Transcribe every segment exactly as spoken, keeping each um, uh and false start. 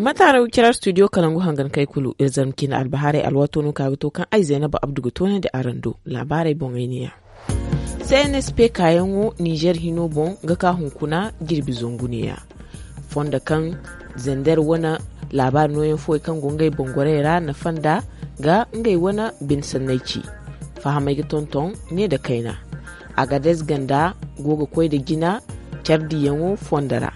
Mataara wicira studio kalangu hangan kay kulu iri zarma cine albahaarey alwaato no ka ga to kaŋ ay zaynaba abdu ga toonandi araŋ do. Laabaarey boŋey ne ya. C N S P kaayaŋo nizer hino boŋ ga ka hunkuna jirbi zangu ne ya. Fondo kaŋ zander wane laabaari nooyaŋ fooyaŋ kaŋ go ngey boŋ gorey ra nafa nda ga ngey wane bine sanney ci. Fahamey ga tonton ne nda kayna. Agadez ganda go ga koy nda jina care diyaŋo fondo ra.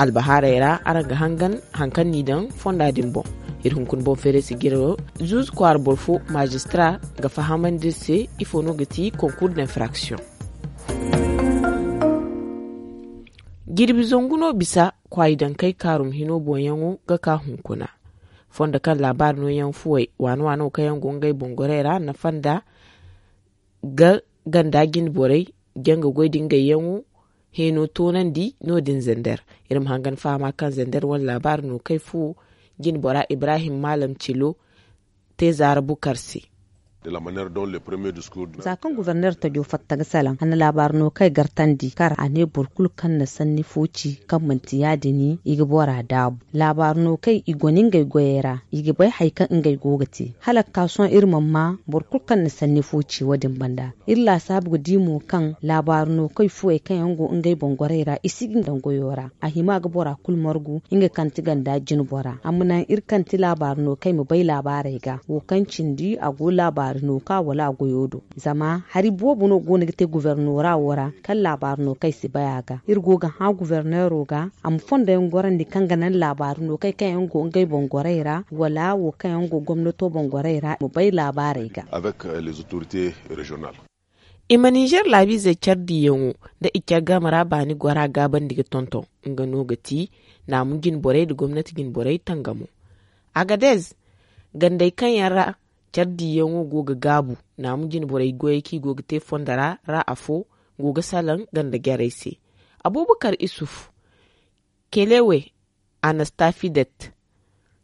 Albahaarey ra araŋ ga hangan haŋ kaŋ n'i daŋ fonda din boŋ. Iri hunkuna boŋ feeray si jiro zuuzu kwaara boro fo maajistara ga fahamandi iri se ifo no ga ti konkuur d'infraction. Jirbi zangu no bisa kwaayi dankey kaarum hino boŋyaŋo ga ka hunkuna. Fondo kaŋ laabaari nooyaŋ fuwey waana waano kaŋ yaŋ go ngey boŋ gorey ra nafa nda ga ganda jine borey janga goy da ngey yaŋo heeno toonandi no- din zander. Iri ma hangan fahama kaŋ zander wane laabaari no kay fu jine bora ibrahim maalam cilo te zaara bukar se. Za kaŋ guverner tajo fatta ga salaŋ a na laabaari no kay gartandi kar a ne boro kulu kaŋ na sanni fo ci kaŋ manti ya- din i ga bora daabu. Laabaari no kay i go no ngey goyey ra i ga bay hari kaŋ ngey go ga te hala ga ka sohõ iri mana ma boro kulu kaŋ na sanni fo ci wo- din banda. Iri laasaabu ga di mo kaŋ laabaari no kay fuwey kaŋ yaŋ go ngey boŋ gorey ra i si ga daŋ goyo ra a hima ga bora kulu margu. Nga kaŋ ti ganda jine bora a ma naŋ iri kaŋ ti laabaari no kay ma bay laabaarey ga wo kaŋ cindi a go laabaari no ka wala a goyo do. Zama hari boobo no go no ga te guvernora wo ra kaŋ laabaari no kay si bay a ga iri go ga hã guvernero ga a ma fondo yaŋ gorandi kaŋ ga naŋ laabaari no kay kaŋ yaŋ go ngey boŋ gorey ra wala wo kaŋ yaŋ go gomnato boŋ gorey ra ma bay laabaarey ga. I ma nizer laabiizey care diyaŋo nda i care game ra baani gora gaabandi ga tonton. Nga no ga ti naamu jine borey nda gomnati jine borey tangamo. Agadez gandey kaŋ yaŋ ra care diyaŋo go ga gaabu naamu jine borey goyey kaŋ i go ga te fondo ra ra afo go ga salaŋ ganda jarey se. Abubakar isuf kelewe anastafidet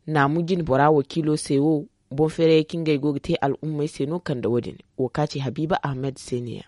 naamu jine bora wakiilo se wo boŋ feerayey kaŋ ngey go ga te al'ummey se no kande wo- din. Wo ka ci habiiba ahmed se ne ya.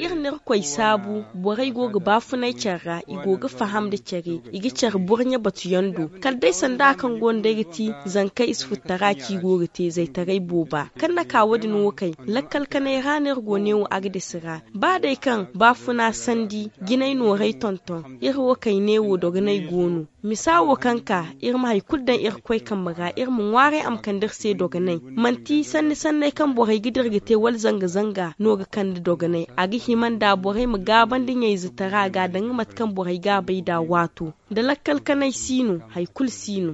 Iri na irkoy saabu borey go ga baafunay care ra i go ga faham nda care i ga care burɲe batuyaŋ do kala day sanda kaŋ go nda ay ga ti zankey isufuttara kaŋ i go ga te zaytaray booba kaŋ na ka wo- din wo kay lakkal kanay ra no iri go neewo agades ra. Ba day kaŋ baafuna sandi jinay noorey tonton iri wo kay neewo dogonay go no. Misa wo kaŋ ka iri ma hari kulu daŋ irkoy kambe ra iri ma ŋwaaray a ma kande iri se dogonay. Manti sanni sanney kaŋ borey ga dira ga te wala zanga zanga no ga kande dogonay a ga hima nda borey ma gaabandi ɲayzetara ga danga mate kaŋ borey ga a bay nd'a waato. Nda lakkal kanay si no hari kulu si no.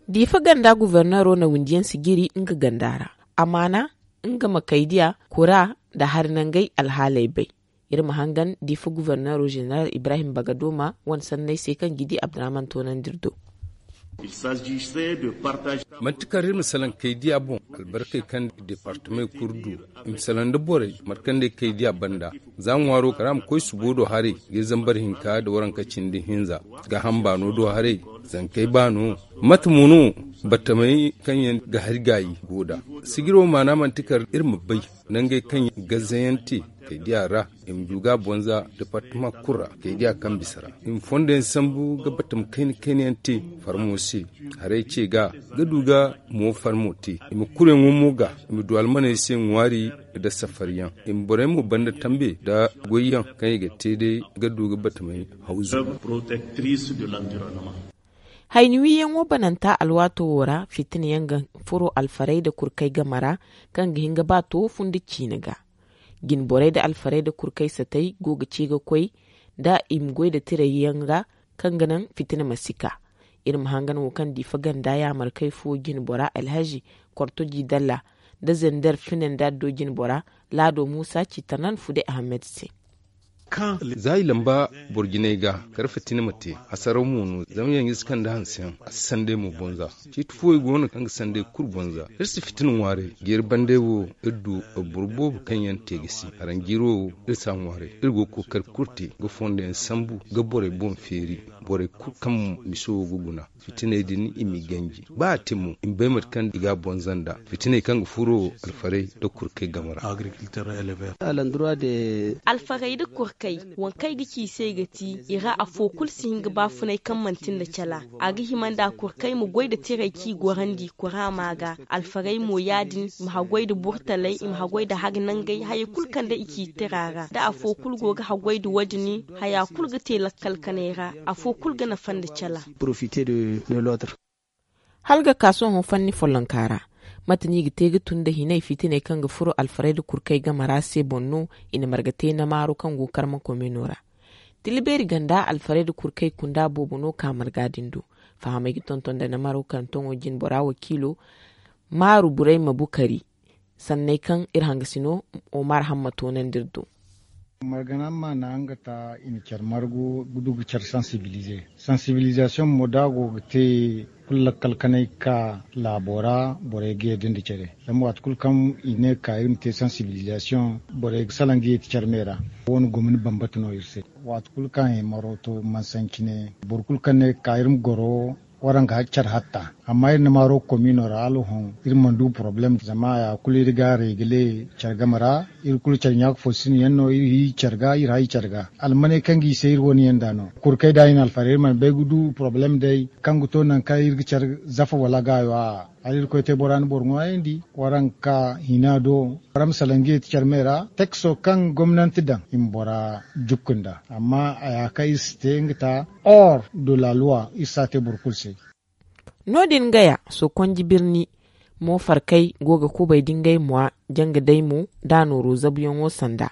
Diifa ganda guverneero na windi yaŋ si jiri nga ganda ra. Amaana nga ma kaydiya kura nda hari nangey alhaaley bay. Iri ma hangan diifa guverneero zeneral ibrahim bagadoma wane sanney se kaŋ ga di abdurahman toonandi iri do. Manti kar iri ma salaŋ kaydiya boŋ albarkey kaŋ deepartamey kulu du. I ma salaŋ nda borey markandey kaydiya banda. Za ŋwaaro kara ma koy subo do haray ga zambar hinka nda waranka cindi hinza ga hamba no do haray. Zankey ba no mate mo no batamey kaŋ yaŋ ga hari gaayi go nd'a. Sijiro maana manti kar iri ma bay nangey kaŋ yaŋ ga zayaŋ te kaydiya ra. I ma du ga a bonza departama kulu ra kaydiya kaŋ bisa ra i ma fondo yaŋ sambu ga batama kayna kayna yaŋ te farmo se. Haray ce ga ga du ga mo farmo te i ma kuru yaŋo mo ga i ma du almaney se ŋwaari nda safari yaŋ. I ma borey mo banda tambe nda goy yaŋ kaŋ i ga te day ga du ga batamey hawzu. Hayni wiyaŋo bananta alwaato wo ra fitina yaŋ ga furo alfarayda kurkey game ra kaŋ ga hin ga ba to funda ciine ga. Jinborey nda alfarayda kurkey satey go ga ci ga koy nda i ma goy nda tirey yaŋ ra kaŋ ga naŋ fitina ma si ka. Iri ma hangan wo kaŋ diifa ganda yaamarkey fo jinbora alhazi kortoji dalla nda zender fine nda addo jinbora laado muusa ci tanan fude ahamed se. Za i lamba boro jinay ga kar fitina ma te hasaraw mo no zama yaŋ ga si kande hanseyaŋ a si sanday mo bonza. Ciiti fooyaŋ go no kaŋ ga sanday kulu bonza. Iri si fitina ŋwaaray jeeri banday wo iri du boro boobo kaŋ yaŋ te ga si haranjiiro wo iri si a ŋwaaray. Iri go ga kookari kulu te ga fondo yaŋ sambu ga borey boŋ feeri. Borey kulu kaŋ miso ga guna fitiney din i m'i ganji ba a te mo i ma bay mate kaŋ i ga a bonza nd'a. Fitiney kaŋ ga furo alfarey nda kurkey game ra. Alfarey nda kurkey waŋ kaŋ ay ga ci i se ga ti i ra afo kulu si hin ga baafunay kaŋ manti nda cala. A ga hima nda kurkey ma goy nda tirey kaŋ i gorandi kuraama ga. Alfarey mo ya- din i ma haggoy nda burtaley i ma haggoy nda hari nangey hayey kulu kaŋ day i ci tira ra da afo kulu go ga haggoy nda wo- din. Haya kulu ga te lakkal kanay ra. Afo kulu ga nafa nda cala. Hala ga ka sohõ fanni follonka ra, mate no i ga te ga tun nda hinay fitiney kaŋ ga furo alfarey nda kurkey game ra se boŋ no? I na marga te namaaro kaŋ go karma komino ra. Tila beeri ganda alfarey nda kurkey kunda boobo no ka marga din do. Fahamey ga tonton nda namaaro kaŋ toŋo jine bora wakiilo maaru burey ma bukari sanney kaŋ iri hangasino omar hamma toonandi iri do. Margana ma na nga ta i na care margu ga du ga care sansibilize. Sansibilizasiyoŋ mo da a go ga te kulu lakkal kanay ga ka laabo ra. Borey ga yadda nda care zama waati kulu kaŋ i ne ga ka iri ma te sansibilizasiyoŋ borey ga salaŋ ga yeeti care me ra. Wo- ne gomni bambata no iri se. Waati kulu kaŋ i maro to mansancine boro kulu kaŋ ne ga ka iri ma goro. Waraŋ ga care hatta amma iri na maaro komiino ra hala hõ iri mana du porobalem zama haya kulu iri ga reegile care game ra. Iri kulu care ɲaaka fo sinda yaŋ no iri hi care ga iri hay care ga almaney kaŋ ga i se iri wane yaŋ da no. Kurkey da i na alfara iri mana bay ga du porobalem day kaŋ ga to nangu kaŋ iri ga care zafa wala gaayo a'a. Hala irkoy te bora na boro ŋwaayandi waraŋ ga ka hina do. Wara ma salaŋ ga yeeti care me ra tekso kaŋ gomnanti daŋ i ma bora jukku nd'a. Amma a ya kaŋ iri si te nga ta or de la loi iri si a te boro kulu se. No- din gaya sokonji birni mo farkay go ga kubay da ngey mwa janga day mo da nooro zabuyaŋo sanda.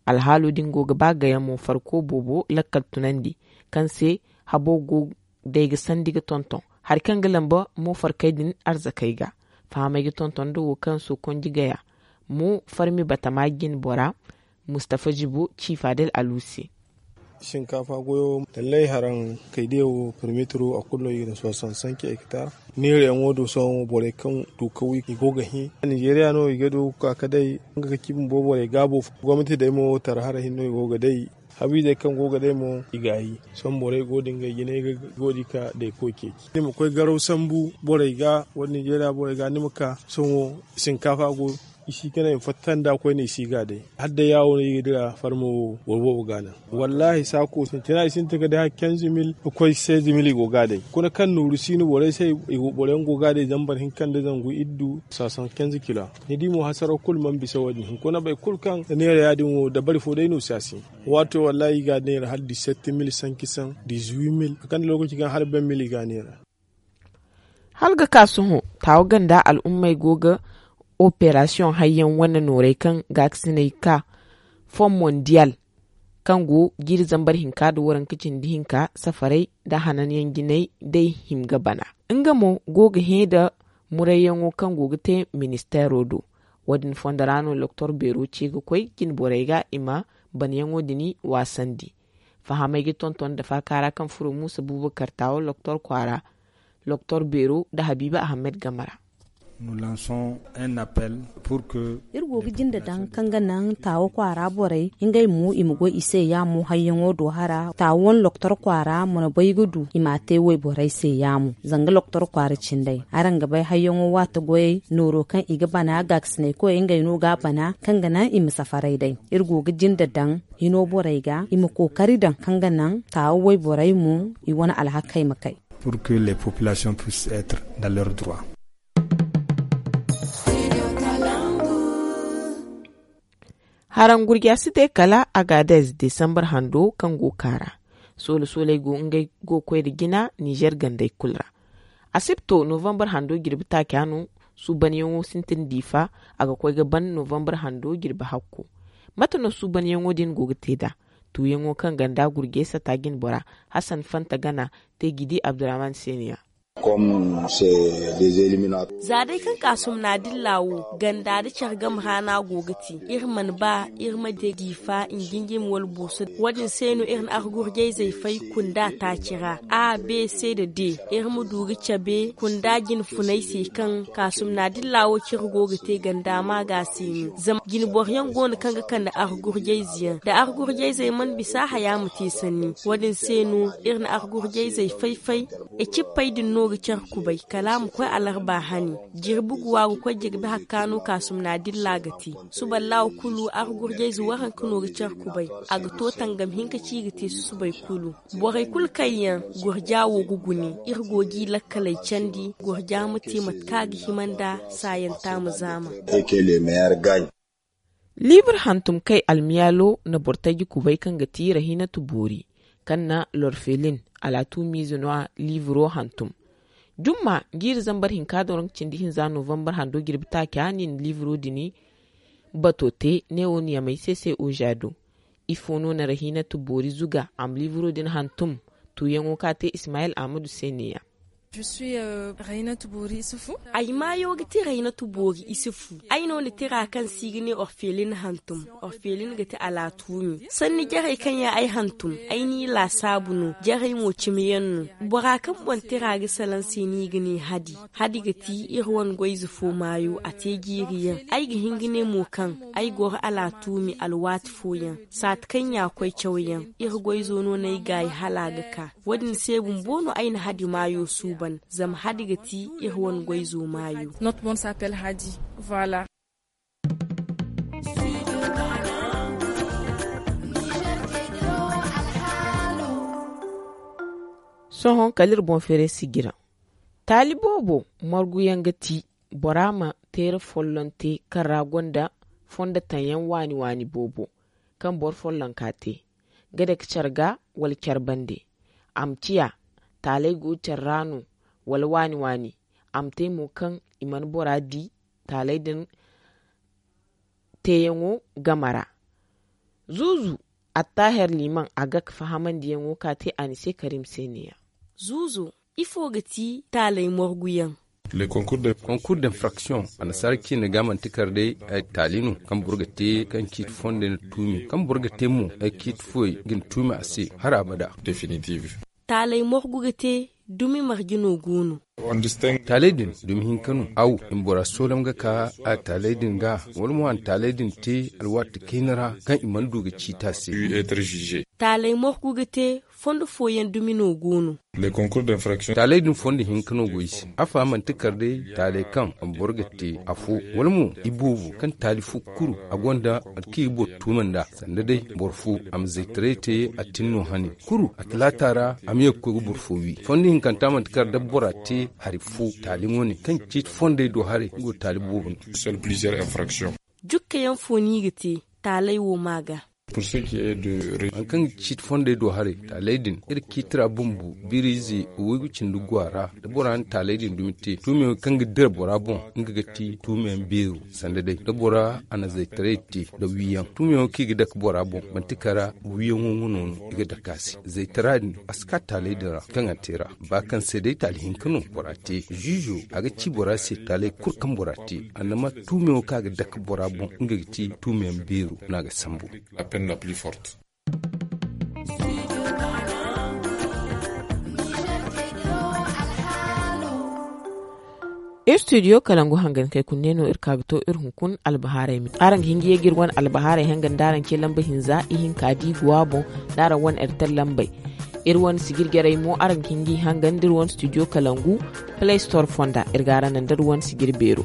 Alhaalo din go ga ba gaya mo farko boobo lakkal tunandi kaŋ se habo go day ga sandi ga tonton hari kaŋ ga lamba mo farkay din arzakey ga. Fahamey ga tonton nda wo kaŋ sokonji gaya mo farmi batama jine bora. Mustafa jibo ci fadel alu se. Sinkaafa goyo tallay haraŋ kaydiya wo permetro a kulu no i ga na soixante cinq hectare. Neerayaŋo do sohõ borey kaŋ du ka wi i go ga hẽ. Ninzeeriya no i ga du ga ka ka day nga ga ci bumbo borey gaabo fo gomnati day mo tara hara hinne no i go ga day. Habiizey kaŋ go ga day mo i gaayi sohõ borey go da ngey jinay ga go da i ka day koy ceeci ni ma koy garaw sambu borey ga wala ninzeeriya borey ga ni ma ka sohõ sinkaafa go. I si ga ne fatta nda koyne i si ga day. Hala day yaawo no i ga dira farmo wo boro boobo ga naŋ. Wallaahi saako sintina i sintin ga day hala kenze mil ga koy seize mil i go ga day kuna kaŋ nooru si no borey se. Boro yaŋ go ga day zambar hinka nda zangu iddu sasan kenze kila. Ni di mo hasaro kulu mana bisa wo- din hunkuna boro kulu kaŋ ga neera ya- din wo dabari fo day no si a si. Waato wallaahi i ga neera hala dix sept mil cinq cent dix huit mil a kande lookaci kaŋ hala vingt mil i ga neera. Hala ga ka sohõ taawa ganda al'ummey go ga operasiyoŋ hayyaŋ wane noorey kaŋ gaakasiney ka fon mondiyal kaŋ go jiiri zambar hinka nda waranka cindi hinka safarey nda hananyaŋ jinay day hima ga bana. Nga mo go ga hẽ nda murayyaŋo kaŋ go ga te ministeero do. Wo- din fondo ra no doktor beero ce ga koy jine borey ga i ma banayaŋo din waasandi. Fahamey ga tonton nda faaka ra kaŋ furo muusa buubakar taawo doktor kwaara doktor beero nda habiiba ahamed game ra. Iri go ga jinde daŋ kaŋ ga naŋ taawo kwaara borey ngey mo i ma goy i se yaamo hayyaŋo do hara taawo wane doktor kwaara mana bay ga du i m'a te wayborey se yaamo. Zanga doktor kwaara cindey araŋ ga bay hayyaŋo waati goyey nooro kaŋ i ga bana gaakasinay koyey ngey no ga a bana kaŋ ga naŋ i ma safaray day. Iri go ga jinde daŋ hino borey ga i ma kookari daŋ kaŋ ga naŋ taawo wayborey mo i wane alhakey ma kay. Pour que les populations puissent être dans leur droit. Haraŋ gurja si te kala agadez desambar hando kaŋ go kaara. Soola sooley go ngey go koy nda jina nizer gandey kulu ra. Asibto novambar hando jirbi taaca no suubanyaŋo sintin diifa. A ga koy ga ban novambar hando jirbi hakko. Mate no suubanyaŋo din go ga te nd'a? Tuuyaŋo kaŋ ganda gurjey sata jine bora hasan fanta gana te ga i di abdurrahman seeniya. Za day kaŋ kaasum na dilla wo ganda nda care game ra no a go ga te. Iri mana ba iri ma di jiifa nginjimi wala booso. Wo- din se no iri na argurjayzey fay kunda taaci ra a b c nda d. Iri ma du ga cabe kunda jinfunay se kaŋ kaasum na dilla wo cire go ga te ganda ma ga se no zama jinboro yaŋ go no kaŋ ga kande argurjayze yaŋ da argurjayzey mana bisa haya ma te sanni. Wo- din se no iri na argurjayzey fay-fay. Ecippey din no ga care kubay kala a ma koy alarba hane. Jirbi guwa ga koy jirbi hakka no kaasum na dilla ga te. Suba laawa kulu argurjayze waranka no ga care kubay. A ga to tangam hinka ci ga te susubay kulu. Borey kulu kaŋ yaŋ gurja wo ga gune iri go ga i lakkaley candi gurja ma te mate kaŋ a ga hima nda saayanta ma zaama. Liibur hantum kay almiyaalo na boro taji kubay kaŋ ga ti rahinatu boori kaŋ na lorfelin alaatumiize no a liiburo hantum. Jumma jiiri zambar hinka doŋ cindi hinza novambar hando jirbi taaca ni na liiburo din bato te ne wo ni yamay se se oza do. Ifo no na rahinatu boori zuga a ma liiburo din hantum? Tuuyaŋo ka te ismayil ahmadu se ne- ya. Ay maayo ga ti rahinatu boori isufu. Ay no na tira kaŋ se i ga ne orfelin hantum. Orfelin ga ti alaatuumi sanni jarey kaŋ yaŋ ay hantum. Ay n'i laasaabu no jarey mo cimiyaŋ no. Bora kaŋ boŋ tira ga salaŋ se no i ga ne hadi. Hadi ga ti iri wane goyze fo maayo a te jiiri yaŋ. Ay ga hin ga ne mo kaŋ ay goro alaatuumi alwaati fooyaŋ saati kaŋ ya koy cawyaŋ. Iri goyzo no no ay gaayi hala a ga ka. Wo- din se bumbo no ay na hadi maayo suuban zama hadi ga ti iri wane goyzo maayo. Sohõ kala iri boŋ feeray sijira taali boobo marguyaŋ ga ti bora ma teera folloŋ te kaŋ ra gonda fondo taŋ yaŋ waani waani boobo kaŋ boro follonka te ga dake care ga wala care bande. A ma ciya taaley go care ra no wala waani waani a ma te mo kaŋ i mana bora di taaley din teeyaŋo game ra. Zuuzu attaher liman a ga ka fahamandiyaŋo ka te a ni se karim se ne- ya. Zuuzo ifo ga ti taaley morguyaŋ? Konkur d'infraction annasaara ciine ga manti kar day taali no kaŋ boro ga te kaŋ ciiti fondey na tuumi kaŋ boro ga te mo ay ciiti fuwey ga ni tuumi a se har abada. Taaley morgu ga te dumi marje no go no? Taaley din dumi hinka no aw i ma bora soolam ga ka a taaley din ga wala mo a na taaley din te alwaati kayna ra kaŋ i mana du ga ciiti a se. Taaley morgu ga te fondo fooyaŋ dumi no go no? Taaley din fondo hinka no go i se. Afa manti kar day taaley kaŋ boro ga te afo wala mo iboobo kaŋ taali fo kuru a gonda kaŋ i ga boro tuuma nd'a sanda day boro fo a ma zaytaray te a tin no hane kuru a talaata ra a ma ye ga koy ga boro fo wi fondo hinkanta manti kar da bora te hari fo taali wane kaŋ ciiti fondey do haray nga go taali boobo no. Jukka yaŋ fo no i ga te taaley wo ma ga? Hari kaŋ ga ciiti fondey do haray taaley din iri ciiti ra bumbo biriize waygu cindi go a ra da bora na taaley din dumi te tuumiyaŋo kaŋ ga dira bora boŋ nga ga ti tuumiyaŋ beero sanda day da bora a na zaytaray te da wiiyaŋ tuumiyaŋo kaŋ i ga dake bora boŋ manti kara wiiyaŋo nga no no i ga dake a se zaytara din a si ka taaley din ra kaŋ a te ra ba kaŋ se day taali hinka no bora te ziizo a ga ci bora se taaley kulu kaŋ bora te a na ma tuumiyaŋo kaŋ a ga dake bora boŋ nga ga ti tuumiyaŋ beero no a ga sambu. Iri studio kalangu hangan kay kunne no iri ka ga to iri hunkuna albahaarey me araŋ ga hin ga ye ga iri wane albahaarey hangan da araŋ ce lamba hinza ihinka da i go a boŋ da araŋ wane iri taŋ lambey. Iri wane sijiri jarey mo araŋ ga hin ga i hangan da iri wane studio kalangu play store fonda iri ga araŋ naŋ da iri wane sijiri beero.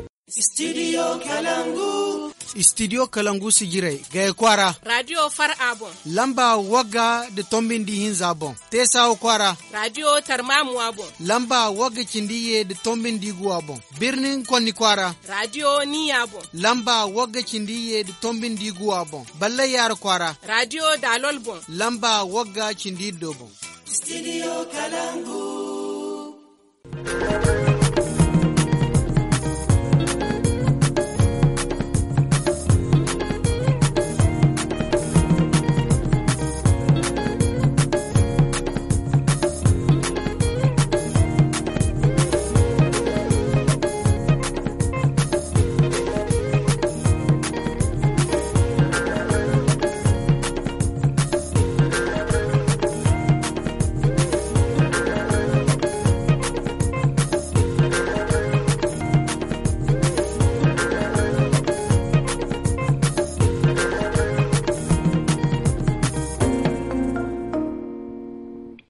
Studio kalangu sijirey gaya kwaara radio far a boŋ lamba wagga nda tombi nda ihinza boŋ. Teesawa kwaara radio tarmamuwa boŋ lamba wagga cindi iyye nda tombi nda iguwa boŋ. Birnin konni kwaara radio niya boŋ lamba wagga cindi iyye nda tombi nda iguwa boŋ. Ballay yaara kwaara radio daalol boŋ lamba wagga cindi iddo boŋ. Studio kalangu.